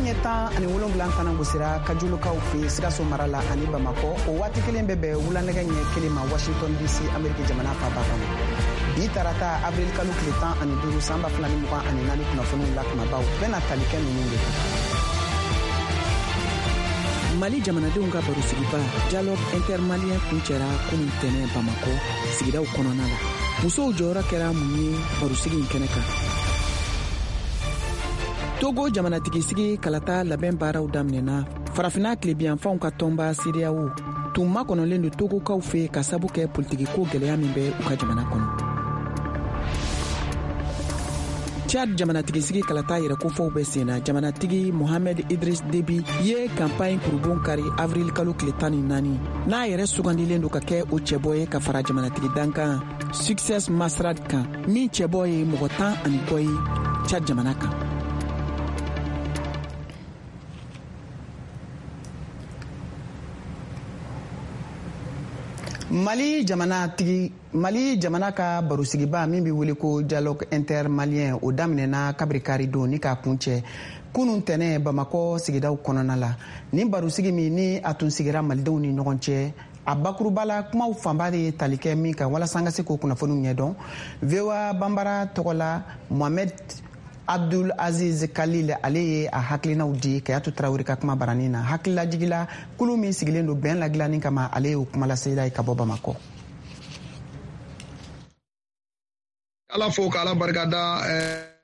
Nɛgɛ ɲɛ 17 tana gosira Kajolokaw fɛ Sikaso mara la ani Bamakɔ. O waati kelen bɛ bɛn wula nɛgɛ ɲɛ 1 ma Washington DC, Ameriki jamana faaba kɔnɔ. Bi tarata, avril kalo tile 15, san 2024, kunnafoniw la kumabaw bɛna tali kɛ ninnu de kan. Mali jamanadenw ka barosigiba Dialogue intermalien kuncɛra kunun tɛnɛ Bamakɔ sigidaw kɔnɔna la. Musow jɔyɔrɔ kɛra mun ye barosigi in kɛnɛ kan? Togo jamanatigisigi kalata labɛn baaraw daminɛna. Farafina tilebiyanfanw ka tɔnba CEDEAO tun makɔnɔlen don Togokaw fɛ ka sabu kɛ politikiko gwɛlɛya min bɛ u ka jamana kɔnɔ. Chad jamanatigisigi kalata yɛrɛkofɔw bɛ senna. Jamanatigi Mohamed Idris Deby ye kanpaɲi kurubon kari avril kalo tile 14, n'a yɛrɛ sugandilen don ka kɛ o cɛbɔ ye ka fara jamanatigi dankan Succès Masra kan, min cɛbɔ ye mɔgɔ 10 ani kɔ ye Chad jamana kan. Mali jamana tigi, Mali jamana ka barosigiba min bɛ wele ko Dialogue intermalien, o daminɛna kabiri kari don ni k'a kuncɛ kunun tɛnɛ Bamakɔ sigidaw kɔnɔna la. Nin barosigi min ni a tun sigira malidenw ni ɲɔgɔn cɛ, a bakuruba la, kumaw fanba de ye tali kɛ min kan, walasa an ka se k'o kunnafoniw ɲɛdɔn, VOA Banbara tɔgɔ la, Mohamed Abdul Aziz Khalil, ale ye a hakilinaw di Kayatu Tarawele ka kuma baranin na. Hakililajigila kulu min sigilen don bɛn ladilanni kama, ale y'o kumalasela ye ka bɔ Bamakɔ. Ala fo k'Ala barika da.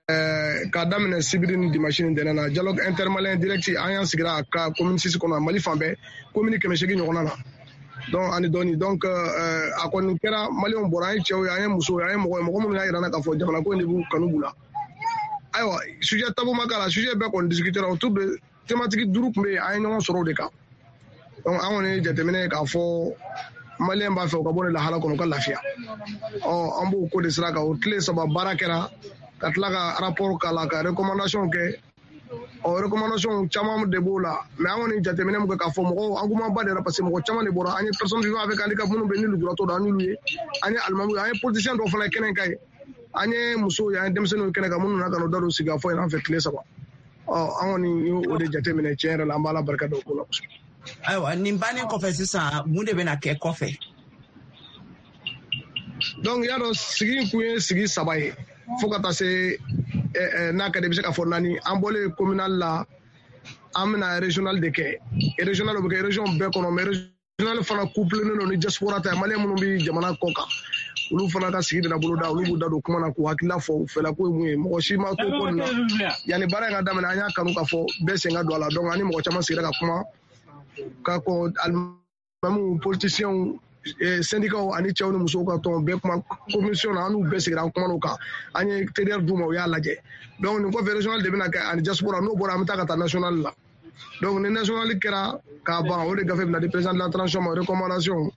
K'a daminɛ sibiri ni dimanche ni ntɛnɛn na, dialogue intermalien direct, an y'an sigira a ka commune six kɔnɔ, Mali fan bɛɛ, commune 800 ɲɔgɔnna na, donc ani dɔɔni. Donc a kɔni kɛra, maliyɛnw bɔra, an ye cɛw ye, an ye musow ye, an ye mɔgɔ ye, mɔgɔ minnu y'a yira n na k'a fɔ jamana ko in de b'u kanu b'u la. Ayiwa, sujet tabou ma k'a la, sujet bɛɛ kɔni discutera autour de thématique duuru tun bɛ yen, an ye ɲɔgɔn sɔrɔ o de kan. Donc an kɔni ye jateminɛ ye k'a fɔ maliyɛn b'a fɛ u ka bɔ nin lahala kɔnɔ, u ka lafiya. Ɔ, an b'o ko de sira kan. O tile 3 baara kɛra, ka tila ka rapport k'a la, ka recommandation kɛ. Ɔ, recommandation caman de b'o la, mais an kɔni jateminɛ min kɛ k'a fɔ mɔgɔw engouement ba de la, parce que mɔgɔ caman de bɔra. An ye personne vivant avec handicap minnu bɛ ni lujuratɔ don, an y'olu ye, an ye alimamu ye, an ye politicien dɔw fana kɛnɛ kan ye, an ye musow ye, an ye denmisɛnninw ye kɛnɛ kan minnu nana ka n'u da don sigikafɔ in an fɛ tile 3. Ɔ, an kɔni y'o de jateminɛ. Tiɲɛ yɛrɛ la, an b'Ala barika da o ko la kosɛbɛ. Ayiwa, nin bannen kɔfɛ sisan, mun de bɛna kɛ kɔfɛ? Donc i y'a dɔn, sigi in kun ye sigi 3 ye, fo ka taa se, n'a ka di, i bɛ se k'a fɔ naani. An bɔlen communal la, an bɛna régional de kɛ. Régional, o bɛ kɛ région bɛɛ kɔnɔ, mais régional fana couplé don ni diaspora ta ye. Maliyɛn minnu bɛ jamana kɔ kan, olu fana ka sigi bɛna boloda, olu b'u da don kuma na k'u hakilila fɔ u fɛla ko ye mun ye. Mɔgɔ si ma to ko nin na. Yanni baara in ka daminɛ, an y'a kanu k'a fɔ bɛɛ sen ka don a la. Donc ani mɔgɔ caman sigira ka kuma, ka kɔn alimamuw, politiciens, syndicats ani cɛw ni musow ka tɔn bɛɛ kuma commission na, an n'u bɛɛ sigira, an kumana o kan, an ye TDR d'u ma, u y'a lajɛ. Donc nin kɔfɛ, régional de bɛna kɛ ani diaspora. N'o bɔra, an bɛ taa ka taa national la. Donc ni national kɛra k'a ban, o de gafe bɛna di président de la transition ma, recommandation.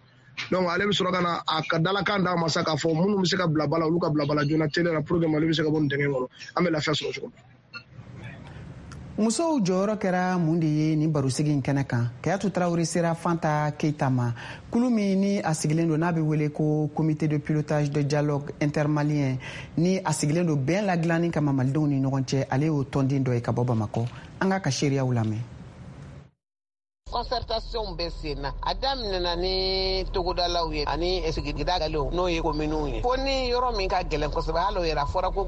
Donc ale bɛ sɔrɔ ka na a ka dalakan d'a ma sa, k'a fɔ minnu bɛ se ka bila ba la, olu ka bila ba la joona teliya la, pour que Mali bɛ se ka bɔ nin dingɛ kɔnɔ, an bɛ lafiya sɔrɔ cogo min. Musow jɔyɔrɔ kɛra mun de ye nin barosigi in kɛnɛ kan? Kayatu Tarawele sera Fanta Keita ma, kulu min ni a sigilen don, n'a bɛ wele ko Comité de pilotage de dialogue intermalien, ni a sigilen don bɛn ladilanni kama malidenw ni ɲɔgɔn cɛ. Ale y'o tɔnden dɔ ye ka bɔ Bamakɔ. An k'a ka seereyaw lamɛn. Concertation bɛ sen na. A daminɛna ni togodalaw ye ani sigida galew, n'o ye kominiw ye, fo ni yɔrɔ min ka gɛlɛn kosɛbɛ. Hali o yɛrɛ, a fɔra ko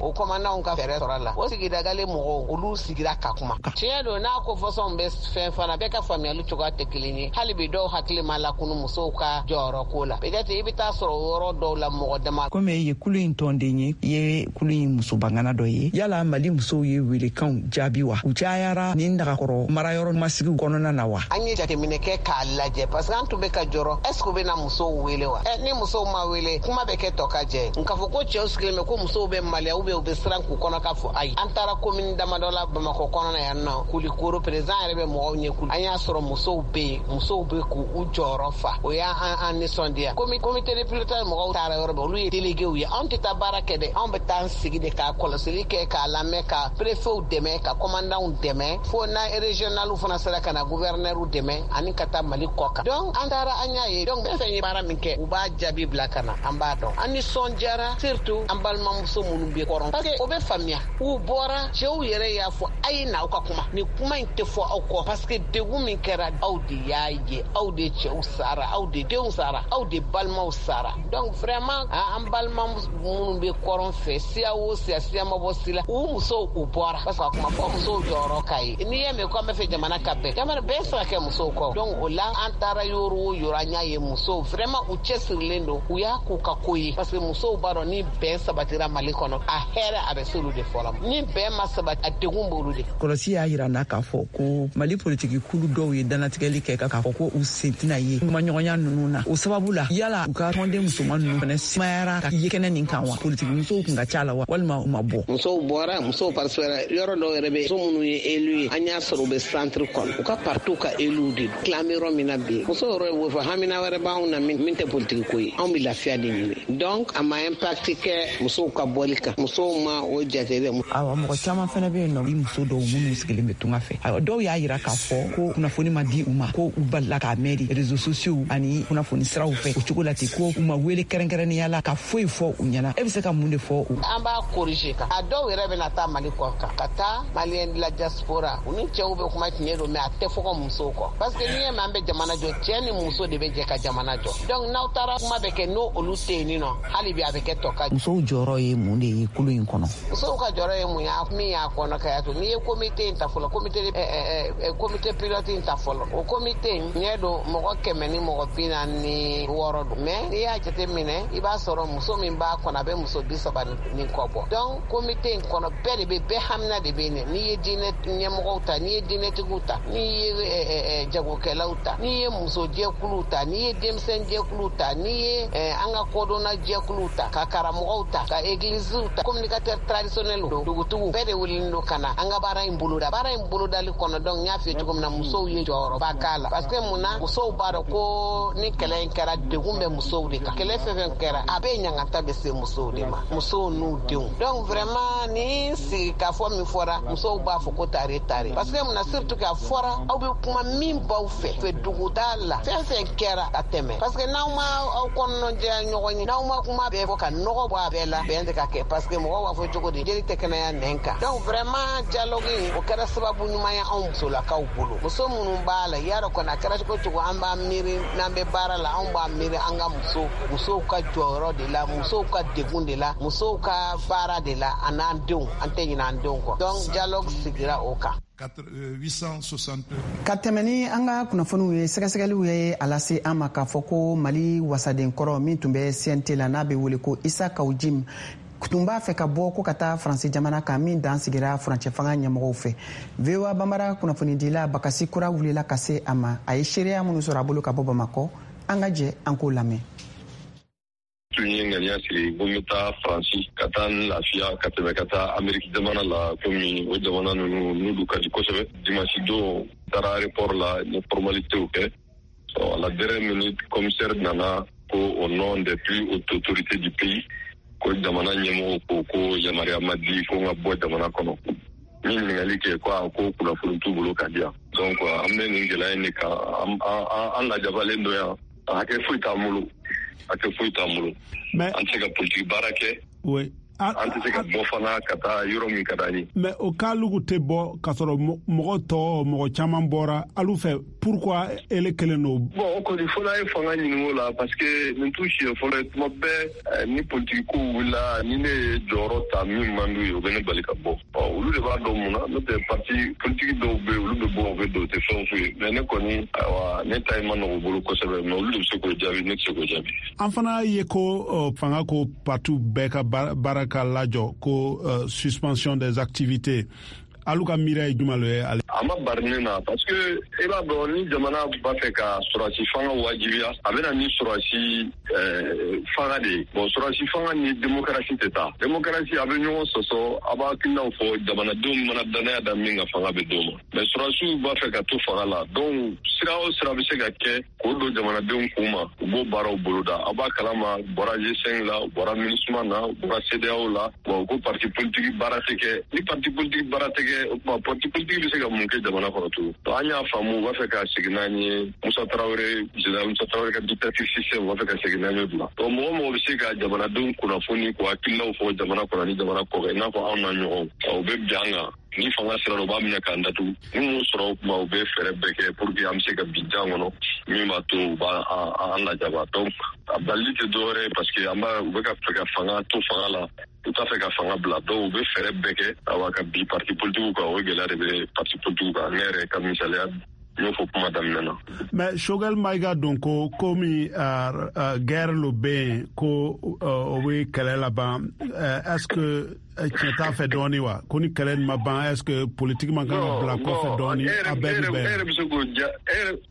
o kɔmandanw ka fɛɛrɛ sɔrɔ a la. O sigida gale mɔgɔw, olu sigira ka kuma. Tiɲɛ don, n'a ko fɔsɔnw bɛ fɛn fana, bɛɛ ka faamuyali cogoya tɛ kelen ye. Hali bi, dɔw hakili ma lakunu musow ka jɔyɔrɔ ko la. Peut-être i bɛ taa sɔrɔ o yɔrɔ dɔw la, mɔgɔ dama. Komi e ye kulu in tɔnden ye, i ye kulu in musobangana dɔ ye, yala Mali musow ye welekanw jaabi wa? U cayara ni nagakɔrɔ marayɔrɔ masigiw kɔnɔna na wa? An ye jateminɛ kɛ k'a lajɛ, parce que an tun bɛ ka jɔrɔ, est ce que u bɛna musow wele wa? Ni musow ma wele, kuma bɛ kɛ tɔ ka jɛ. Nka fɔ ko cɛw sigilen bɛ ko musow bɛ maloya ou bien u bɛ siran k'u kɔnɔ ka fɔ, ayi. An taara commune damadɔ la Bamakɔ kɔnɔna yan nɔ, Kulikoro, président yɛrɛ bɛ mɔgɔw ɲɛ kulu. An y'a sɔrɔ musow bɛ yen, musow bɛ k'u jɔyɔrɔ fa. O y'an an nisɔndiya. Komi comité de pilotage mɔgɔw taara yɔrɔ bɛɛ, olu ye déléguéw ye. Anw tɛ taa baara kɛ dɛ, anw bɛ taa an sigi de k'a kɔlɔsili kɛ, k'a lamɛn, ka préfetw dɛmɛ, ka commandantw dɛmɛ, fo na régionalw fana sera ka na gouverneur. gouverneur dɛmɛ ani ka taa Mali kɔ kan. Donc an taara, an y'a ye. Donc fɛn fɛn ye baara min kɛ, u b'a jaabi bila ka na, an b'a dɔn. An nisɔndiyara, surtout an balimamuso minnu bɛ kɔrɔn, parce que o bɛ faamuya. U bɔra, cɛw yɛrɛ y'a fɔ: a ye na aw ka kuma, nin kuma in tɛ fɔ aw kɔ, parce que degun min kɛra, aw de y'a ye, aw de cɛw sara, aw de denw sara, aw de balimaw sara. Donc vraiment, an balima minnu bɛ kɔrɔn fɛ, siya o siya, siya ma bɔ si la, u musow u bɔra, parce que a kuma fɔ musow jɔyɔrɔ ka ye. N'i y'a mɛn ko an bɛ fɛ jamana ka bɛn, jamana bɛɛ se ka kɛ musow kɔ. Donc o la, an taara yɔrɔ o yɔrɔ, an y'a ye musow vraiment u cɛsirilen don, u y'a k'u ka ko ye, parce que musow b'a dɔn ni bɛn sabatira Mali kɔnɔ, a hɛrɛ a bɛ se olu de fɔlɔ. Ni bɛn ma sabati, a degun b'olu de. Kɔlɔsi y'a yira n'a k'a fɔ ko Mali politiki kulu dɔw ye danatigɛli kɛ k'a fɔ ko u sen tɛna ye kumaɲɔgɔnya ninnu na. O sababu la, yala u ka tɔnden musoman ninnu fana sumayara ka ye kɛnɛ nin kan wa? Politiki musow kun ka ca la wa, walima u ma bɔ? Musow bɔra, musow participera. Yɔrɔ dɔw yɛrɛ bɛ, muso minnu ye élu ye, an y'a sɔrɔ u bɛ centre kɔnɔ, u ka partiw ka élu de don. Tila an bɛ yɔrɔ min na bi, musow yɛrɛ b'o fɔ: hamina wɛrɛ b'anw na min tɛ politiki ko ye, anw bɛ lafiya de ɲini. Donc a ma impact kɛ musow ka bɔli kan, musow ma o jate dɛ. Ayiwa, mɔgɔ caman fana bɛ yen nɔ, i muso dɔw minnu sigilen bɛ tunga fɛ, ayiwa, dɔw y'a yira k'a fɔ ko kunnafoni ma di u ma, ko u balila k'a mɛn de réseaux sociaux ani kunnafoni siraw fɛ o cogo la ten, ko u ma wele kɛrɛnkɛrɛnnenya la ka foyi fɔ u ɲɛna. E bɛ se ka mun de fɔ u? An b'a corriger kan. A dɔw yɛrɛ bɛna taa Mali kɔ kan, ka taa Malien de la diaspora, u ni cɛw bɛ kuma, tiɲɛ don, mais a tɛ fɔ ka musow kɔ, parce que n'i ye mɛn an bɛ jamana jɔ, cɛ ni muso de bɛ jɛ ka jamana jɔ. Donc n'aw taara, kuma bɛ kɛ n'o olu tɛ yen nɔ, hali bi a bɛ kɛ tɔ ka. Musow jɔyɔrɔ ye mun de ye kulu in kɔnɔ? Musow ka jɔyɔrɔ ye mun ye? Min y'a kɔnɔ ka y'a to, n'i ye comité in ta fɔlɔ, comité pilote in ta fɔlɔ, o comité in ɲɛ don mɔgɔ 146 don. Mais n'i y'a jate minɛ, i b'a sɔrɔ muso min b'a kɔnɔ, a bɛ muso 30 ni kɔ bɔ. Donc comité in kɔnɔ, bɛɛ de bɛ, bɛɛ hamina de bɛ yen. N'i ye diinɛ ɲɛmɔgɔw ta, n'i ye diinɛtigiw ta, n'i ye jagokɛlaw ta, n'i ye musojɛkuluw ta, n'i ye denmisɛnjɛkuluw ta, n'i ye an ka kodɔnna jɛkuluw ta, ka karamɔgɔw ta, ka egiliziw ta, communicateur traditionnel, dugutigiw, bɛɛ de welelen don ka na an ka baara in boloda. Baara in bolodali kɔnɔ, donc n y'a f'i ye cogo min na, musow ye jɔyɔrɔba k'a la, parce que mun na? Musow b'a dɔn ko ni kɛlɛ in kɛra, degun bɛ musow de kan. Kɛlɛ fɛn fɛn kɛra, a bɛɛ ɲangata bɛ se musow de ma, musow n'u denw. Donc vraiment, ni sigi k'a fɔ min fɔra, musow b'a fɔ ko tare tare, parce que mun na? Surtout k'a fɔra aw bɛ kuma min b'aw fɛ duguda la, fɛn fɛn kɛra ka tɛmɛ, parce que n'aw ma aw kɔnɔnajɛya ɲɔgɔn ye, n'aw ma kuma bɛɛ fɔ ka nɔgɔ bɔ a bɛɛ la, bɛn tɛ ka kɛ, parce que mɔgɔw b'a fɔ cogo di, jeli tɛ kɛnɛya nɛn kan. Donc vraiment, dialogue in, o kɛra sababu ɲuman ye anw musolakaw bolo, muso minnu b'a la. Yarɔ kɔni, a kɛra cogo cogo, an b'a miiri n'an bɛ baara la, anw b'a miiri an ka musow ka jɔyɔrɔ de la, musow ka degun de la, musow ka baara de la, a n'an denw, an tɛ ɲinɛ an denw kɔ. Donc dialogue sigira o kan. Ka tɛmɛ ni an ka kunnafoniw ye, sɛgɛsɛgɛliw ye a lase an ma k'a fɔ ko Mali wasaden kɔrɔ min tun bɛ CNT la, n'a bɛ wele ko Isa Kaw Jim, tun b'a fɛ ka bɔ ko ka taa Faransi jamana kan, min dan sigira furancɛ fanga ɲɛmɔgɔw fɛ. VOA Banbara kunnafonidila Bakasi Kura wulila ka se a ma. A ye seereya minnu sɔrɔ a bolo ka bɔ Bamakɔ, an ka jɛ an k'o lamɛn. Tun ye ŋaniya sigi ko n bɛ taa Faransi ka taa n lafiya ka tɛmɛ ka taa Ameriki jamana la, komi o jamana ninnu n'olu ka di kosɛbɛ. Dimanche don, taara aéroport la, n ye formalitéw kɛ. À la dernière minute, commissaire nana ko au nom des plus hautes autorités du pays, ko jamana ɲɛmɔgɔw ko yamaruya ma di ko n ka bɔ jamana kɔnɔ. N ye ɲininkali kɛ, ko a ko kunnafoni t'u bolo ka di yan. Donc an bɛ nin gɛlɛya in de kan, an lajabalen don yan. Hakɛ foyi t'an bolo, hakɛ foyi t'an bolo. An tɛ se ka politiki baara kɛ, an tɛ se ka bɔ fana ka taa yɔrɔ min ka d'an ye. Mais o k'alugu tɛ bɔ k'a sɔrɔ mɔgɔ tɔ, mɔgɔ caman bɔra alu fɛ, pourquoi ele kelen don? Bon, o kɔni, fo n'a ye fanga ɲini o la, parce que nin t'u siɲɛ fɔlɔ ye. Tuma bɛɛ ni politiki kow wulila, ni ne ye jɔyɔrɔ ta min man d'u ye, u bɛ ne bali ka bɔ. Ɔ, olu de b'a dɔn mun na. N'o tɛ, parti politiki dɔw bɛ yen, olu bɛ bɔ, u bɛ don, u tɛ fɛn f'u ye. Mais ne kɔni, ayiwa, ne ta in ma nɔgɔ u bolo kosɛbɛ, mais olu de bɛ se k'o jaabi, ne tɛ se k'o jaabi. An fana ye ko fanga ko parti bɛɛ ka baara ka lajɔ, ko suspension des activités. Alu ka miiriya ye jumɛn ye ale? A ma bari ne na, parce que e b'a dɔn, ni jamana b'a fɛ ka sɔrɔsi fanga wajibiya, a bɛ na ni sɔrɔsi fanga de ye. Bon, sɔrɔsi fanga ni démocratie tɛ taa. Démocratie, a bɛ ɲɔgɔn sɔsɔ, a b'a hakilinaw fɔ, jamanadenw mana danaya da min ka fanga bɛ d'o ma. Mais sɔrɔsiw b'a fɛ ka to fanga la, donc Sira o sira bɛ se ka kɛ k'o don jamanadenw kun ma, u b'o baaraw boloda. Aw b'a kalama, u bɔra G5 la, u bɔra MINUSMA na, u bɔra CEDEAO la. Bon, ko parti politique baara tɛ kɛ. Ni parti politique baara tɛ kɛ, o tuma parti politique bɛ se ka mun kɛ jamana kɔnɔ tugun? Donc an y'a faamu, u b'a fɛ ka segin n'an ye Musa Tarawele, général Musa Tarawele ka dictature système, u b'a fɛ ka segin n'an ye o de la. Donc mɔgɔ mɔgɔ bɛ se ka jamanadenw kunnafoni, k'u hakililaw fɔ jamana kɔnɔ ni jamana kɔkan, i n'a fɔ anw n'a ɲɔgɔnw, u bɛ bin an kan. Ni fanga sera, u b'a minɛ k'an datugu. N'u m'o sɔrɔ, o tuma u bɛ fɛɛrɛ bɛɛ kɛ pour que an bɛ se ka bin jan kɔnɔ min b'a to u b'a an lajaba. Donc a balili tɛ dɔwɛrɛ ye, parce que an b'a u bɛ ka fɛ ka fanga to fanga la, u t'a fɛ ka fanga bila. Donc u bɛ fɛɛrɛ bɛɛ kɛ, awa, ka bin parti politique kan. O gɛlɛya de bɛ parti politique kan. Ne yɛrɛ ka misaliya, n y'o fɔ kuma daminɛ na. Mais Choguel Maïga don ko komi guerre lo bɛ yen, ko o bɛ kɛlɛ laban, est ce que tiɲɛ t'a fɛ dɔɔni wa, ko ni kɛlɛ nin ma ban, est ce que politique man kan ka bila kɔfɛ dɔɔni, a bɛɛ bɛ bɛn? E yɛrɛ bɛ se k'o ja,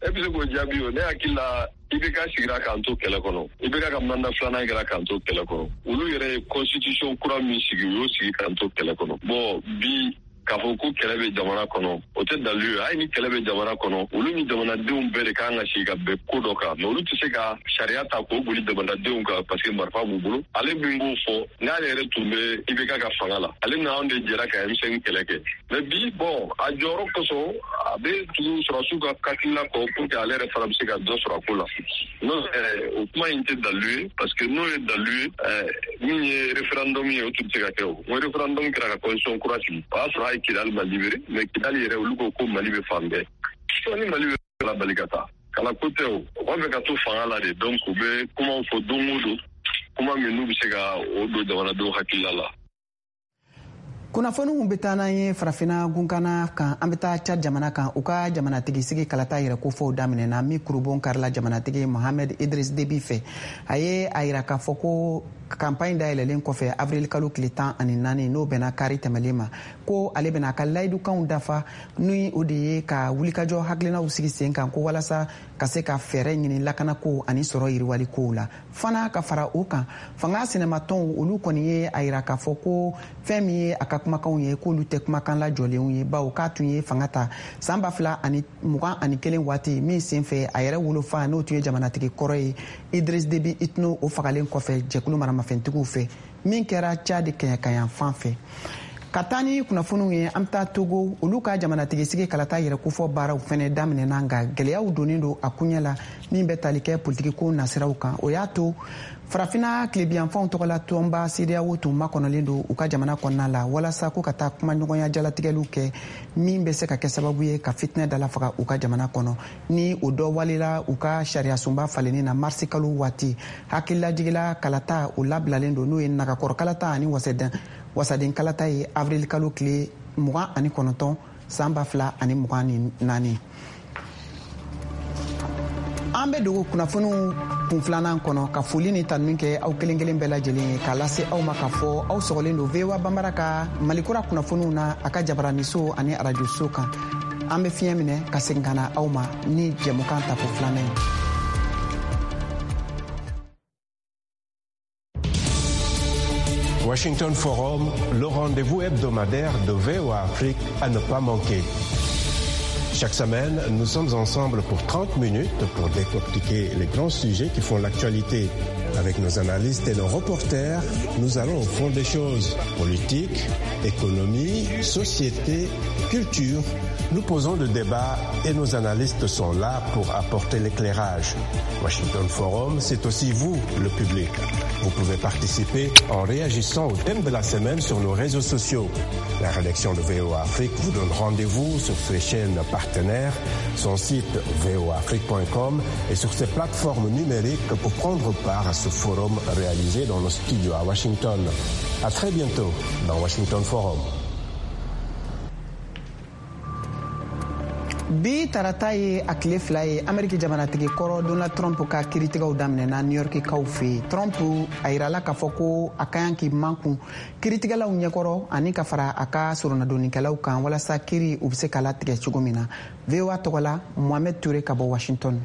e bɛ se k'o jaabi. O ne hakili la, IBK sigira k'an to kɛlɛ kɔnɔ. IBK ka mandat filanan kɛra k'an to kɛlɛ kɔnɔ. Olu yɛrɛ ye constitution kura min sigi, u y'o sigi k'an to kɛlɛ kɔnɔ. Bon, bi k'a fɔ ko kɛlɛ bɛ jamana kɔnɔ, o tɛ dalilu ye. Hali ni kɛlɛ bɛ jamana kɔnɔ, olu ni jamanadenw bɛɛ de kan ka sigi ka bɛn ko dɔ kan. Mais olu tɛ se ka sariya ta k'o boli jamanadenw kan parce que marifa b'u bolo. Ale min b'o fɔ, n'ale yɛrɛ tun bɛ IBK ka fanga la, ale n'anw de jɛra ka M5 kɛlɛ kɛ. Mais bi, bon, a jɔyɔrɔ kosɔn, a bɛ tugu sɔrɔdasiw ka hakilina kɔ pour que ale yɛrɛ fana bɛ se ka dɔ sɔrɔ a ko la. N'o o kuma in tɛ dalilu ye, parce que n'o ye dalilu ye, min ye référendum ye, o tun tɛ se ka kɛ. O n ko référendum kɛra ka constitution kura sigi, o y'a sɔrɔ a ye Kidali ma libéré. Mais Kidali yɛrɛ, olu ko ko Mali bɛ fan bɛɛ. Ni Mali bɛ la bali ka taa kala ko tɛ, o u b'a fɛ ka to fanga la de. Donc u bɛ kumaw fɔ don o don, kuma min n'u bɛ se ka o don jamanadenw hakilila la. Kunnafoniw bɛ taa n'an ye Farafina gunkana kan. An bɛ taa Chad jamana kan. U ka jamanatigi sigi kalata yɛrɛ kofɔw daminɛna, min kurubon karila jamanatigi Mohamed Idris Debi fɛ. A ye a yira k'a fɔ ko kanpaɲi dayɛlɛlen kɔfɛ avril kalo tile 14, n'o bɛnna kari tɛmɛlen ma, ko ale bɛna a ka layidukanw dafa, ni o de ye ka wulikajɔ hakilinaw sigi sen kan, ko walasa ka se ka fɛɛrɛ ɲini lakanako ani sɔrɔ yiriwali kow la fana. Ka fara o kan, fanga sinamatɔnw, olu kɔni ye a yira k'a fɔ ko fɛn min ye a ka kumakanw ye, k'olu tɛ kumakan lajɔlenw ye, bawo k'a tun ye fanga ta san 2021 waati min senfɛ, a yɛrɛ wolofa, n'o tun ye jamanatigi kɔrɔ ye Idris Debi Itno, o fagalen kɔfɛ jɛkulu maramafɛntigiw fɛ, min kɛra Chad kɛɲɛkayan fan fɛ. Ka taa ni kunnafoniw ye, an bɛ taa Togo. Olu ka jamanatigi sigi kalata yɛrɛ kofɔ baaraw fɛnɛ daminɛna, nka gɛlɛyaw donnen don a kuɲɛ la min bɛ tali kɛ politikiko nasiraw kan. O y'a to Farafina tilebiyanfanw tɔgɔla tɔnba CEDEAO tun makɔnɔlen don u ka jamana kɔnɔna la, walasa ko ka taa kumaɲɔgɔnya jalatigɛliw kɛ min bɛ se ka kɛ sababu ye ka fitinɛ dala faga u ka jamana kɔnɔ, ni o dɔ walela u ka sariyasunba falenni na marisi kalo waati. Hakililajigila, kalata o labilalen don, n'o ye nagakɔrɔ kalata ani wasaden kalata ye, avril kalo tile 29 san 2024. An bɛ dogo kunnafoniw kun filanan kɔnɔ ka foli ni tanuni kɛ aw kelen kelen bɛɛ lajɛlen ye, k'a lase aw ma k'a fɔ aw sɔgɔlen don VOA Banbara ka Malikura kunnafoniw na a ka jabaraniso ani arajoso kan. An bɛ fiɲɛ minɛ ka segin ka na aw ma ni jɛmukan tako filanan ye. Washington Forum, le rendez-vous hebdomadaire de VOA Afrique à ne pas manquer. Chaque semaine, nous sommes ensemble pour 30 minutes pour décortiquer les grands sujets qui font l'actualité. Avec nos analystes et nos reporters, nous allons au fond des choses. Politique, économie, société, culture. Nous posons le débat et nos analystes sont là pour apporter l'éclairage. Washington Forum, c'est aussi vous, le public. Vous pouvez participer en réagissant au thème de la semaine sur nos réseaux sociaux. La rédaction de VOA Afrique vous donne rendez-vous sur ses chaînes partenaires, son site voaafrique.com et sur ses plateformes numériques pour prendre part à ce forum réalisé dans nos studios à Washington. À très bientôt dans Washington Forum. Bi tarata ye a tile 2 ye, Ameriki jamanatigi kɔrɔ Donald Trump ka kiritigɛw daminɛna New Yorkikaw fɛ yen. Trump a yirala k'a fɔ ko a ka kan k'i makun kiritigɛlaw ɲɛkɔrɔ ani ka fara a ka soronadonnikɛlaw kan, walasa kiri u bɛ se ka latigɛ cogo min na. VOA tɔgɔ la, Mohamed Toure ka bɔ Washington.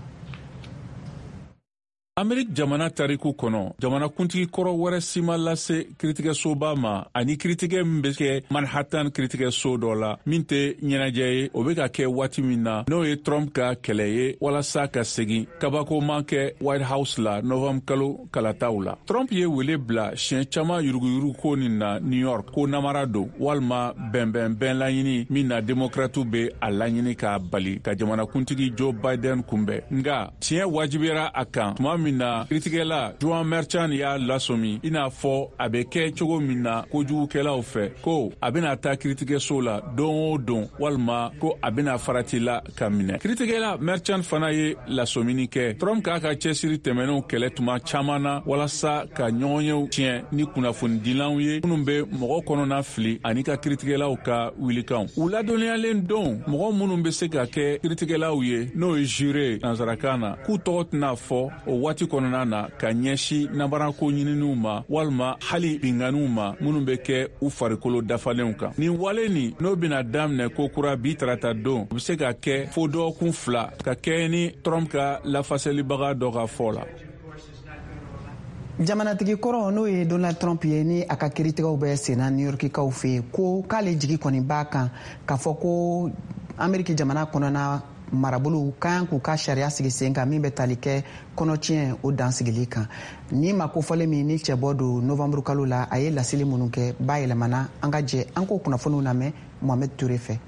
Amerik jamana tariku kɔnɔ, jamanakuntigi kɔrɔ wɛrɛ si ma lase kiritigɛsoba ma ani kiritigɛ min bɛ kɛ Manhattan kiritigɛso dɔ la min tɛ ɲɛnajɛ ye, o bɛ ka kɛ waati min na, n'o ye Trump ka kɛlɛ ye walasa ka segin kabakoman kɛ White House la novembre kalo kalataw la. Trump ye wele bila siɲɛ caman yuruguyurugu ko nin na New York, ko namara don walima bɛnbɛnbɛn laɲini min na demokratiw bɛ a laɲini k'a bali ka jamanakuntigi Joe Biden kunbɛn. Nka tiɲɛ wajibiyara a kan tuma min na kiritigɛla Juan Merchan y'a lasɔmi, i n'a fɔ a bɛ kɛ cogo min na kojugukɛlaw fɛ, ko a bɛna taa kiritigɛso la don o don walima ko a bɛna farati la ka minɛ. Kiritigɛla Merchan fana ye lasɔmini kɛ Trump k'a ka cɛsiri tɛmɛnenw kɛlɛ tuma caman na walasa ka ɲɔgɔnyew tiɲɛ ni kunnafonidilanw ye minnu bɛ mɔgɔ kɔnɔna fili ani ka kiritigɛlaw ka wilikanw. U ladɔnniyalen don mɔgɔ minnu bɛ se ka kɛ kiritigɛlaw ye, n'o ye juré nansarakan na, k'u tɔgɔ tɛna fɔ o waati kɔnɔna na ka ɲɛsin nabarako ɲininiw ma walima hali binkanniw ma minnu bɛ kɛ u farikolo dafalenw kan. Nin wale nin, n'o bɛna daminɛ ko kura bi tarata don, o bɛ se ka kɛ fo dɔgɔkun 2, ka kɛɲɛ ni Trump ka lafasalibaga dɔ ka fɔ la. Jamanatigi kɔrɔ, n'o ye Donald Trump ye, ni a ka kiritigɛw bɛ senna New Yorkikaw fɛ yen, ko k'ale jigi kɔni b'a kan k'a fɔ ko Ameriki jamana kɔnɔna marabolow ka kan k'u ka sariya sigi sen kan min bɛ tali kɛ kɔnɔtiɲɛ o dansigili kan. Ni ma kofɔlen min ni cɛbɔ don novembre kalo la, a ye laseli minnu kɛ bayɛlɛmana. An ka jɛ an k'o kunnafoniw lamɛn Mohamed Toure fɛ.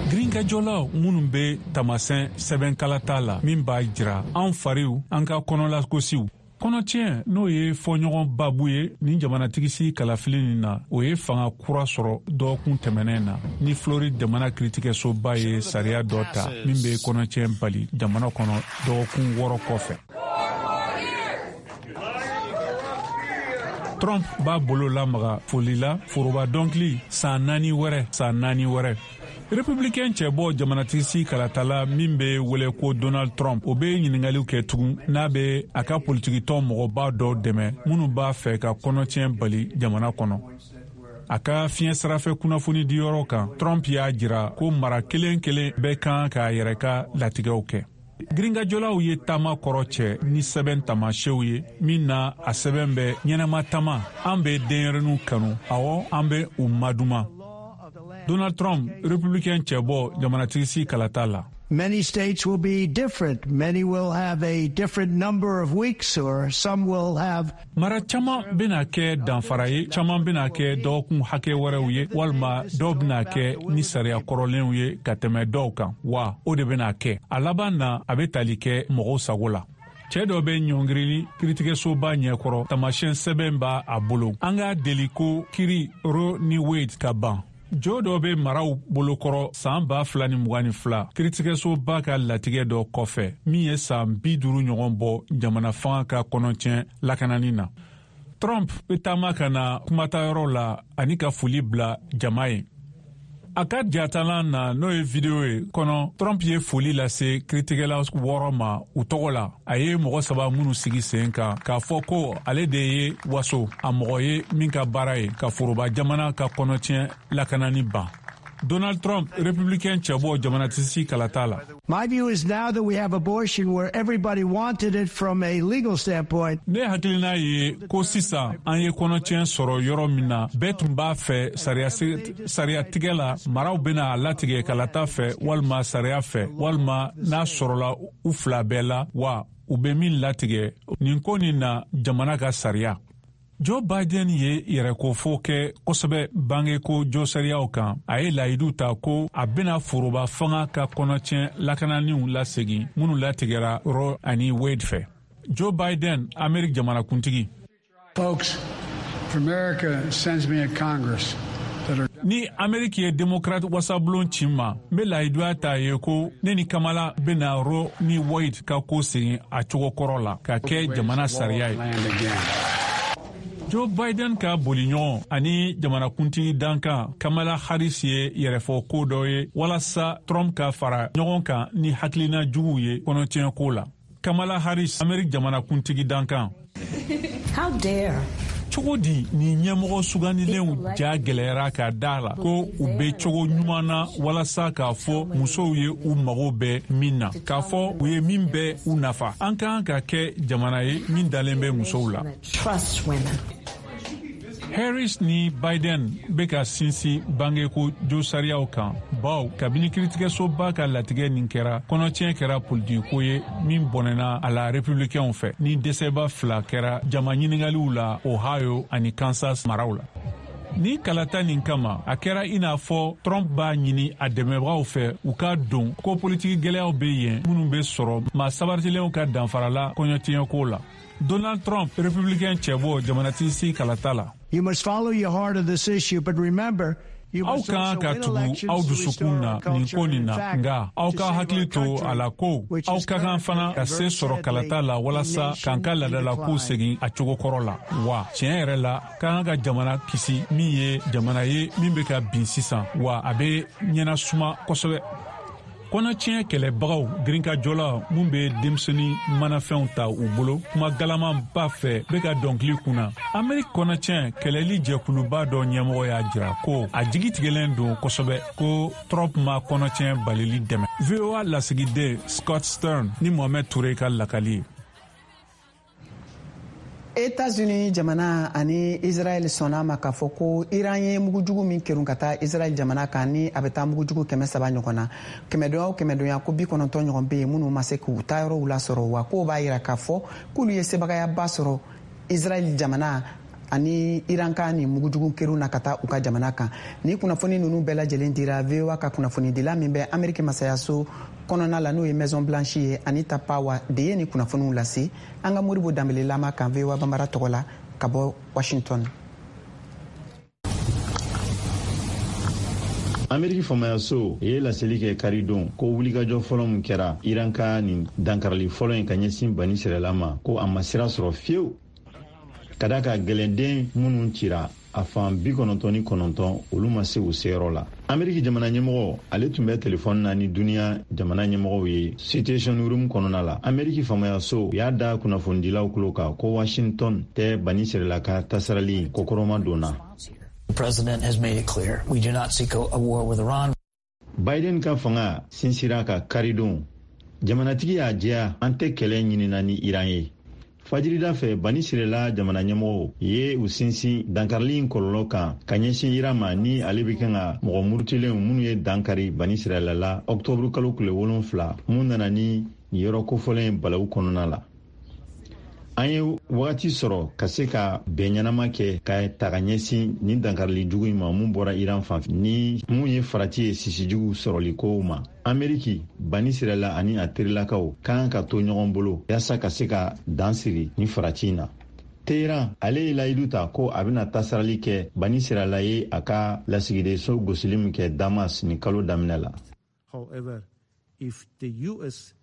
Girinkajɔlaw minnu bɛ tamasɛn sɛbɛnkalata la min b'a jira an fariw, an ka kɔnɔlakosiw kɔnɔtiɲɛ, n'o ye fɔɲɔgɔn babu ye nin jamanatigisi kalafili nin na, o ye fanga kura sɔrɔ dɔgɔkun tɛmɛnɛn na ni Floride jamana kiritigɛsoba ye sariya dɔ ta min bɛ kɔnɔtiɲɛ bali jamana kɔnɔ dɔgɔkun 6 kɔfɛ. Trump b'a bolo lamaga foli la, foroba dɔnkili, san 4 wɛrɛ, san 4 wɛrɛ. Republicain cɛbɔ jamanatigisi kalatala min bɛ wele ko Donald Trump, o bɛ ɲiningaliw kɛ tugun n'a bɛ a ka politikitɔn mɔgɔba dɔw dɛmɛ minnu b'a fɛ ka kɔnɔtiɲɛ bali jamana kɔnɔ. A ka fiɲɛ sirafɛ kunnafoni diyɔrɔ kan, Trump y'a jira ko mara kelen kelen bɛɛ kan k'a yɛrɛ ka latigɛw kɛ. Girinkajɔlaw ye taama kɔrɔ cɛ ni sɛbɛn tamasew ye min na a sɛbɛn bɛ ɲɛnama tama, an bɛ denyɛrɛninw kanu, awɔ, an bɛ u maduma. Donald Trump, républicain cɛbɔ jamanatigisi kalata la. Many states will be different. Many will have a different number of weeks, or some will have. Mara caman bɛna kɛ danfara ye, caman bɛna kɛ dɔgɔkun hakɛ wɛrɛw ye, walima dɔw bɛna kɛ ni sariya kɔrɔlenw ye ka tɛmɛ dɔw kan wa. O de bɛna kɛ a laban na, a bɛ tali kɛ mɔgɔw sago la. Cɛɛ dɔ bɛ ɲɔngirili kiritigɛsoba ɲɛkɔrɔ, tamasiyɛn sɛbɛn b'a a bolo, an k'a deli ko kiri Roe ni Wade ka ban. Jo dɔ bɛ maraw bolokɔrɔ saan 2022 kiritigɛsoba ka latigɛ dɔ kɔfɛ min ye saan 50 ɲɔgɔn bɔ jamana fanga ka kɔnɔtiɲɛ lakanani na. Trump bɛ taama ka na kumatayɔrɔ la ani ka foli bila jama ye. A ka jatalan na, n'o ye video ye kɔnɔ, Trump ye foli lase kiritigɛla 6 ma u tɔgɔ la, a ye mɔgɔ saba minnu sigi sen kan, k'a fɔ ko ale de ye waso a mɔgɔ ye min ka baara ye ka foroba jamana ka kɔnɔtiɲɛ lakanani ban. Donald Trump, républicain cɛbɔ jamanatisi kalata la. My view is now that we have abortion where everybody wanted it from a legal standpoint. Ne hakilina ye ko sisan an ye kɔnɔtiɲɛ sɔrɔ yɔrɔ min na bɛɛ tun b'a fɛ sariya tigɛ la, maraw bɛna a latigɛ kalata fɛ walima sariya fɛ, walima n'a sɔrɔla u fila bɛɛ la wa, u bɛ min latigɛ nin ko nin na, jamana ka sariya. Joe Biden ye yɛrɛkofo kɛ kosɛbɛ bangeko jɔsariyaw kan. A ye layidu ta ko a bɛna foroba fanga ka kɔnɔtiɲɛ lakananiw lasegin minnu latigɛra Roe ani Wade fɛ. Joe Biden, Amerique jamanakuntigi. Folks, if America sends me a Congress Ni Ameriki ye Demokrate wasabulon ci ma, n be layiduya ta ye ko ne ni Kamala bena Roe ni Wade ka ko segin a cogo kɔrɔ la ka kɛ jamana sariya ye. Joe Biden ka boliɲɔgɔn ani jamanakuntigi dankan Kamala Harris ye yɛrɛfɔ ko dɔ ye walasa Trump ka fara ɲɔgɔn kan ni hakilina juguw ye kɔnɔtiɲɛ ko la. Kamala Harris, Amerique jamanakuntigi dankan. How dare Cogo di nin ɲɛmɔgɔ sugandilenw ja gɛlɛyara ka da la ko u bɛ cogo ɲuman na walasa k'a fɔ musow ye u mago bɛ min na, k'a fɔ u ye min bɛ u nafa? An ka kan ka kɛ jamana ye min dalen bɛ musow la. Harris ni Biden bɛ ka sinsin bangeko josariyaw kan, bawo kabini kiritigɛsoba ka latigɛ nin kɛra, kɔnɔtiɲɛ kɛra politikiko ye min bɔnɛna a la republikɛnw fɛ, ni dɛsɛba fila kɛra jama ɲiningaliw la Ohio ani Kansas maraw la. Ni kalata nin kama, a kɛra i n'a fɔ Trump b'a ɲini a dɛmɛbagaw fɛ u ka don ko politiki gɛlɛyaw bɛ yen minnu bɛ sɔrɔ maa sabaritilenw ka danfarala kɔɲɔtiɲɛko la. Donald Trump, républicain cɛbɔ jamanatigi kalata la. You must follow your heart on this issue, but remember, Aw ka kan ka tugu aw dusukun na nin ko nin na, nka aw ka hakili to a la ko aw ka kan fana ka se sɔrɔ kalata la walasa k'an ka laadalakow segin a cogo kɔrɔ la. Wa tiɲɛ yɛrɛ la, ka kan ka jamana kisi min ye jamana ye min bɛ ka bin sisan, wa a bɛ ɲɛnasuma kosɛbɛ. Kɔnɔtiɲɛ kɛlɛbagaw girinkajɔla mun bɛ denmisɛnnin manafɛnw ta u bolo kuma galamanba fɛ bɛ ka dɔnkili kunna. Ameriki kɔnɔtiɲɛ kɛlɛli jɛkuluba dɔ ɲɛmɔgɔ y'a jira ko a jigi tigɛlen don kosɛbɛ ko Trump ma kɔnɔtiɲɛ balili dɛmɛ. VOA lasigiden Scott Stern ni Mohamed Toure ka lakali ye. Etats-Unis jamana ani Israel sɔnna ma k'a fɔ ko Iran ye mugujugu min kerun ka taa Israel jamana kan, ni a bɛ taa mugujugu 300 ɲɔgɔn na, kɛmɛdonya o kɛmɛdonya, ko 90 ɲɔgɔn bɛ yen minnu ma se k'u taayɔrɔw lasɔrɔ, wa k'o b'a yira k'a fɔ k'olu ye sebagayaba sɔrɔ Israel jamana ani Iran ka nin mugujugu kerun na ka taa u ka jamana kan. Ni kunnafoni ninnu bɛɛ lajɛlen dira VOA ka kunnafonidila min bɛ Ameriki masayaso kɔnɔna la, n'o ye Maison Blanche ye, Anita Powell de ye nin kunnafoniw lase an ka Modibo Danbele lama kan VOA Banbara tɔgɔ la ka bɔ Washington. Ameriki faamayaso ye laseli kɛ karidon ko wulikajɔ fɔlɔ min kɛra Iran ka nin dankarili fɔlɔ in ka ɲɛsin Bani Sirala ma, ko a ma sira sɔrɔ fiyewu, ka da ka gɛlɛnden minnu cira, a fan 99, olu ma se u seyɔrɔ la. Ameriki jamana ɲɛmɔgɔ, ale tun bɛ telefɔni na ni duniɲa jamana ɲɛmɔgɔw ye Situation Room kɔnɔna la. Ameriki faamayaso y'a da kunnafonidilaw tulo kan ko Washington tɛ Bani Sirala ka tasarali kɔkɔrɔma donna. The president has made it clear we do not seek a war with Iran. Biden ka fanga sinsira ka karidon, jamanatigi y'a jɛya, an tɛ kɛlɛ ɲinina ni Iran ye. Fajirida fɛ, Bani Sirela jamana ɲɛmɔgɔw ye u sinsin dankarili in kɔlɔlɔ kan ka ɲɛsin Iran ma, ni ale bɛ kan ka mɔgɔ murutilenw minnu ye dankari Bani Sirela la ɔktɔburu kalo tile 7, mun nana ni nin yɔrɔ kofɔlen balawu kɔnɔna la. An ye wagati sɔrɔ ka se ka bɛn ɲɛnama kɛ ka ta ka ɲɛsin nin dankarili jugu in ma mun bɔra Iran fan fɛ, ni mun ye farati ye sisijugu sɔrɔli kow ma. Ameriki, Bani Sirala ani a terilakaw ka kan ka to ɲɔgɔn bolo yaasa ka se ka dan siri ni farati in na. Teheran, ale ye layidu ta ko a bɛna tasarali kɛ Bani Sirala ye a ka lasigidenso gosili min kɛ Damas nin kalo daminɛ la. However, if the US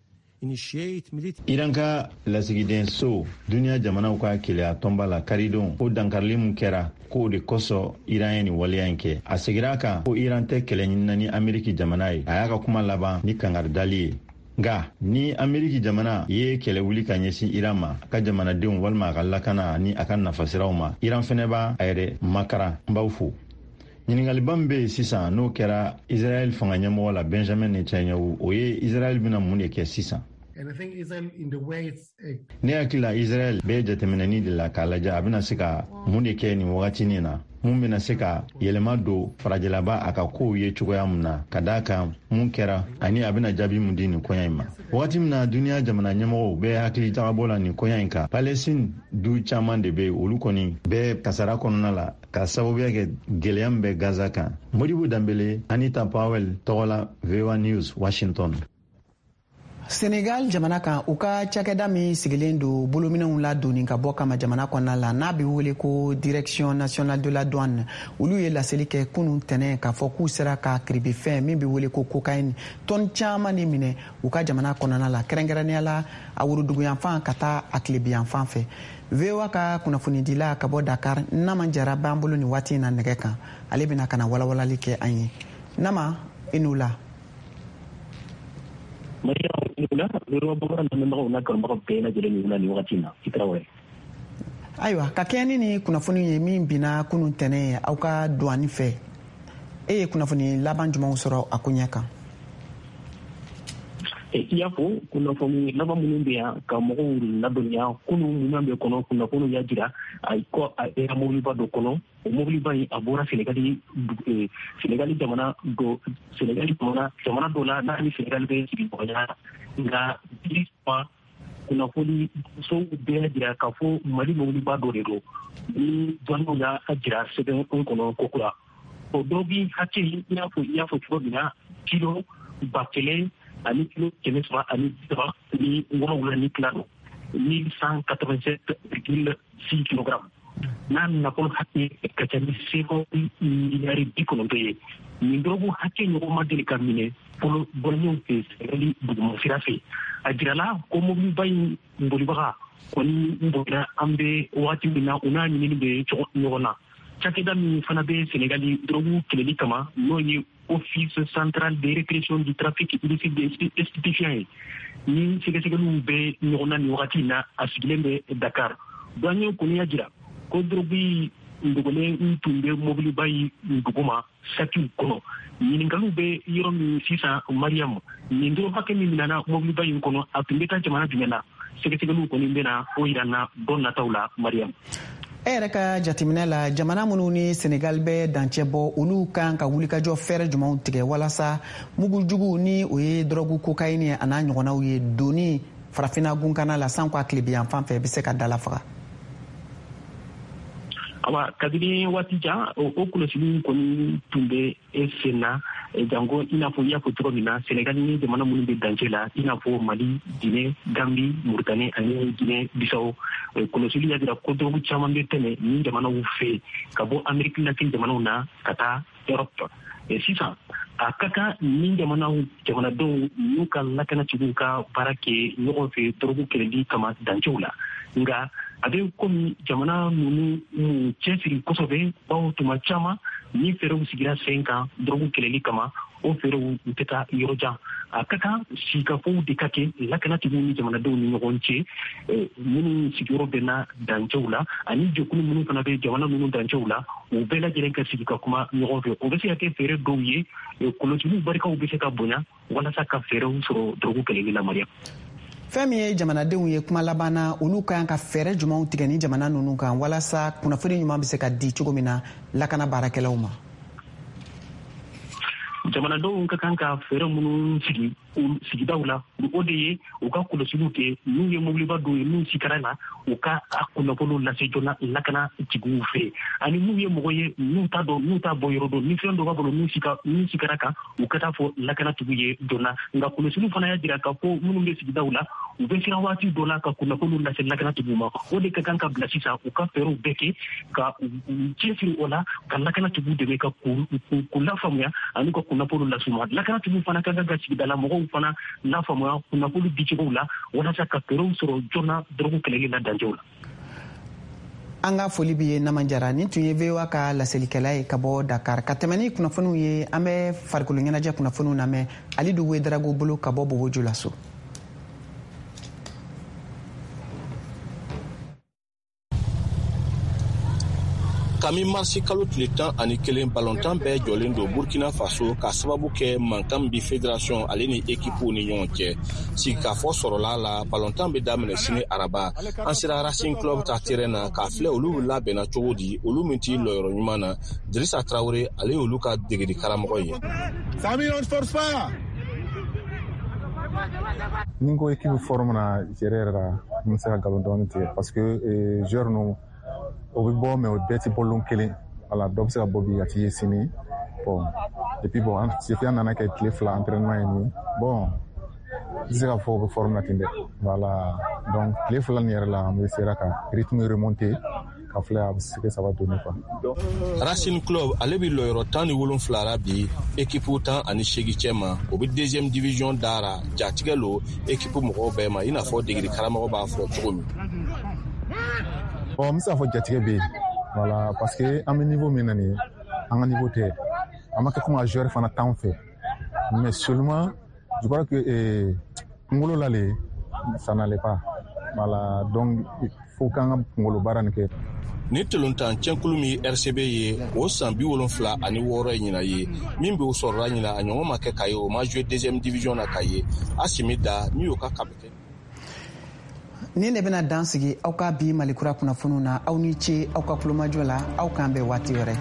initiate military Iran ka lasigidenso duniɲa jamanaw ka keleya tɔnba la karidon ko dankarili min kɛra, k'o de kosɔn Iran ye nin waleya in kɛ. A segira a kan ko Iran tɛ kɛlɛ ɲinina ni Ameriki jamana ye. A y'a ka kuma laban ni kangaridali ye, nka ni Ameriki jamana ye kɛlɛ wuli ka ɲɛsin Iran ma, a ka jamanadenw walima a ka lakana ani a ka nafasiraw ma, Iran fɛnɛ b'a a yɛrɛ makara. N b'aw fo. Ɲiningaliba min bɛ yen sisan, n'o kɛra Israɛl fanga ɲɛmɔgɔ la Benjamin Netanyahu, o ye Israɛl bɛna mun de kɛ sisan? Ne hakili la, Israɛl bɛ jateminɛni de la k'a lajɛ a bɛna se ka mun de kɛ nin wagatinin na, mun bɛna se ka yɛlɛma don farajɛlaba a ka kow ye cogoya mun na, ka d'a kan mun kɛra ani a bɛna jaabi mun di nin koɲa in ma. Wagati min na duniɲa jamana ɲɛmɔgɔw bɛ hakili jagabɔ la nin koɲa in kan, Palestine du caman de bɛ yen, olu kɔni bɛ kasara kɔnɔna la ka sababuya kɛ gɛlɛya min bɛ Gaza kan. Modibo Danbele, Anita Powell tɔgɔ la, VOA News, Washington. Senegal jamana kan, u ka cakɛda min sigilen don bolominɛw ladonni ka bɔ kama jamana kɔnɔna la, n'a bɛ wele ko Direction nationale de la douane, olu ye laseli kɛ kunun tɛnɛ k'a fɔ k'u sera ka kiribifɛn min bɛ wele ko cocaïne tɔni caman de minɛ u ka jamana kɔnɔna la, kɛrɛnkɛrɛnnenya la a woroduguyanfan ka taa a tilebiyanfan fɛ. VOA ka kunnafonidila ka bɔ Dakar, Nama Jara, b'an bolo nin waati in na nɛgɛ kan. Ale bɛna ka na walawalali kɛ an ye. Nama, i n'u la. Mariam, i ni wula. VOA Bamanan lamɛnbagaw n'a kanubagaw bɛɛ lajɛlen ni wula nin wagati in na. I Tarawele. Ayiwa, ka kɛɲɛ ni nin kunnafoni ye min binna kunun tɛnɛ ye aw ka duwani fɛ, e ye kunnafoni laban jumɛnw sɔrɔ a koɲɛ kan? I y'a fɔ, kunnafoni laban minnu bɛ yan ka mɔgɔw ladɔnniya, kunun minnu bɛ kɔnɔ, kunnafoniw y'a jira ko a kɛra mobiliba dɔ kɔnɔ. O mobiliba in, a bɔra Senegali, Senegali jamana dɔ, Senegali jamana dɔ la n'a ni Senegali bɛ sigiɲɔgɔnya. Nka bi kunnafoni sow bɛɛ jira k'a fɔ Mali mobiliba dɔ de don ni douaniers y'a jira sɛbɛn kɔnɔ kokura. O dɔ bi hakɛ, i y'a fɔ cogo min na, kilo 1337 don, 1187,6 kilogrammes, n'a nafolo hakɛ ka ca ni CFA miliyari 90 ye. Nin dɔrɔgu hakɛ ɲɔgɔn ma deli ka minɛ fɔlɔ douaniers fɛ Senegali duguma sira fɛ. A jirala ko mobiliba in bolibaga kɔni bolila. An bɛ wagati min na, u n'a ɲinini bɛ ɲɔgɔn na. Cakɛda min fana bɛ Senegali dɔrɔgu kɛlɛli kama, n'o ye Office central de répression du trafic illicite de stupéfiants ye, ni sɛgɛsɛgɛliw bɛ ɲɔgɔn na nin wagati in na, a sigilen bɛ Dakar. Douanier kɔni y'a jira ko dɔrɔgu in dogolen tun bɛ mobiliba in duguma sakiw kɔnɔ. Ɲininkaliw bɛ yɔrɔ min sisan, Mariam, nin dɔrɔgu hakɛ min minɛna mobiliba in kɔnɔ, a tun bɛ taa jamana jumɛn na? Sɛgɛsɛgɛliw kɔni bɛna o yira na don nataw la, Mariam. E yɛrɛ ka jateminɛ la, jamana minnu ni Senegal bɛ dancɛ bɔ, olu kan ka wulikajɔ fɛɛrɛ jumɛnw tigɛ walasa mugujugu ni o ye dɔrɔgu kokayini a n'a ɲɔgɔnnaw ye doni Farafina gunkana la sanko a tilebiyan fan fɛ bɛ se ka dala faga? Awa, kabini waati jan, o kɔlɔsiliw kɔni tun bɛ sen na, janko i n'a fɔ i y'a fɔ cogo min na, Senegal ni jamana minnu bɛ dancɛ la, i n'a fɔ Mali, Guinée, Gambi, Mauritanie ani Guinée Bissau. Kɔlɔsili y'a jira ko dɔrɔgu caman bɛ tɛmɛ nin jamanaw fɛ ka bɔ Amérique latine jamanaw na ka taa Europe. Sisan a ka kan ni jamanaw jamanadenw n'u ka lakanatigiw ka baara kɛ ɲɔgɔn fɛ dɔrɔgu kɛlɛli kama dancɛw la. Nka a bɛ komi jamana ninnu m'u cɛsiri kosɛbɛ, bawo tuma caman ni fɛɛrɛw sigira sen kan dɔrɔgu kɛlɛli kama, o fɛɛrɛw u tɛ taa yɔrɔ jan. A ka kan sigikafɔw de ka kɛ lakanatigiw ni jamanadenw ni ɲɔgɔn cɛ minnu sigiyɔrɔ bɛnna dancɛw la, ani jɛkulu minnu fana bɛ jamana ninnu dancɛw la, u bɛɛ lajɛlen ka sigi ka kuma ɲɔgɔn fɛ. O bɛ se ka kɛ fɛɛrɛ dɔw ye, kɔlɔsiliw barikaw bɛ se ka bonya walasa ka fɛɛrɛw sɔrɔ dɔrɔgu kɛlɛli la, Mariam. Fɛn min ye jamanadenw ye, kuma laban na, olu ka kan ka fɛɛrɛ jumɛnw tigɛ ni jamana ninnu kan walasa kunnafoni ɲuman bɛ se ka di cogo min na lakana baarakɛlaw ma? Jamanadenw ka kan ka fɛɛrɛ minnu sigi sigidaw la, o de ye u ka kɔlɔsiliw kɛ. N'u ye mobiliba dɔw ye n'u sikara la, u ka a kunnafoniw lase joona lakana tigiw fɛ, ani n'u ye mɔgɔ ye n'u t'a dɔn, n'u t'a bɔ yɔrɔ dɔn, ni fɛn dɔ b'a bolo n'u sikara kan, u ka taa fɔ lakana tigiw ye joona. Nka kɔlɔsiliw fana y'a jira k'a fɔ minnu bɛ sigidaw la, u bɛ siran waati dɔ la ka kunnafoniw lase lakana tigiw ma. O de ka kan ka bila sisan, u ka fɛɛrɛw bɛɛ kɛ ka u cɛsiri o la, ka lakana tigiw dɛmɛ ka k'u lafaamuya ani ka kunnafoniw las'u ma. Lakana tigiw fana ka kan ka sigidala mɔgɔw fana lafaamuya kunnafoni dicogow la walasa ka fɛɛrɛw sɔrɔ joona dɔrɔgu kɛlɛli la dancɛw la. An ka foli bi ye Namajara. Nin tun ye VOA ka laselikɛla ye ka bɔ Dakar. Ka tɛmɛ ni kunnafoniw ye, an bɛ farikolo ɲɛnajɛ kunnafoniw lamɛn Alidu Wedarago bolo ka bɔ Bobo Julaso. Kami marisi kalo tile 11, balontan bɛɛ jɔlen don Burkina Faso ka sababu kɛ mankan bi fédération ale ni ekipuw ni ɲɔgɔn cɛ. Sigikafɔ sɔrɔla la, balontan bɛ daminɛ sini araba. An sera Racing Club ta terrain na k'a filɛ olu labɛnna cogo di, olu min t'i lɔyɔrɔ ɲuman na. Dirisa Tarawele, ale y'olu ka degeli karamɔgɔ ye. Sami, on ne force pas. Ni n ko équipe forme na yɛrɛ yɛrɛ la, n bɛ se ka nkalon dɔɔni tigɛ, parce que joueur ninnu o bɛ bɔ, mais o bɛɛ tɛ bɔ lon kelen. Wala dɔ bɛ se ka bɔ bi ka t'i ye sini. Bon, et puis bon, depuis an nana kɛ tile 2 entraînement ye nin, bon, n tɛ se k'a fɔ o bɛ forme na ten dɛ. Voilà, donc tile 2 nin yɛrɛ la, an bɛ sera ka rythme remonter ka filɛ a bɛ se que ça va donner quoi. Racing Club, ale bɛ lɔyɔrɔ 17 la bi ekipu 18 cɛ ma. O bɛ deuxième division dara. Jatigɛ lo ekipu mɔgɔw bɛɛ ma, i n'a fɔ degeli karamɔgɔ b'a fɔ cogo min. Bon, n bɛ se k'a fɔ jatigɛ bɛ yen, voilà, parce que an bɛ niveau min na nin ye, an ka niveau tɛ, an ma kɛ komi a joueur fana t'anw fɛ, mais seulement je crois que kunkolo la le, ça n'allait pas. Voilà, donc Fo k'an ka kunkolo baara nin kɛ. Ni tolontan cɛnkulu min RCB ye, o san 76 ye ɲina ye min bɛ o sɔrɔla ɲina, a ɲɔgɔn ma kɛ k'a ye o ma jouer deuxième division na k'a ye Asimi da min y'o ka capitaine. Nin de bɛna dan sigi aw ka bi Malikura kunnafoniw na. Aw ni ce aw ka kulomajɔ la. Aw k'an bɛn waati wɛrɛ.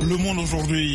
Le monde aujourd'hui.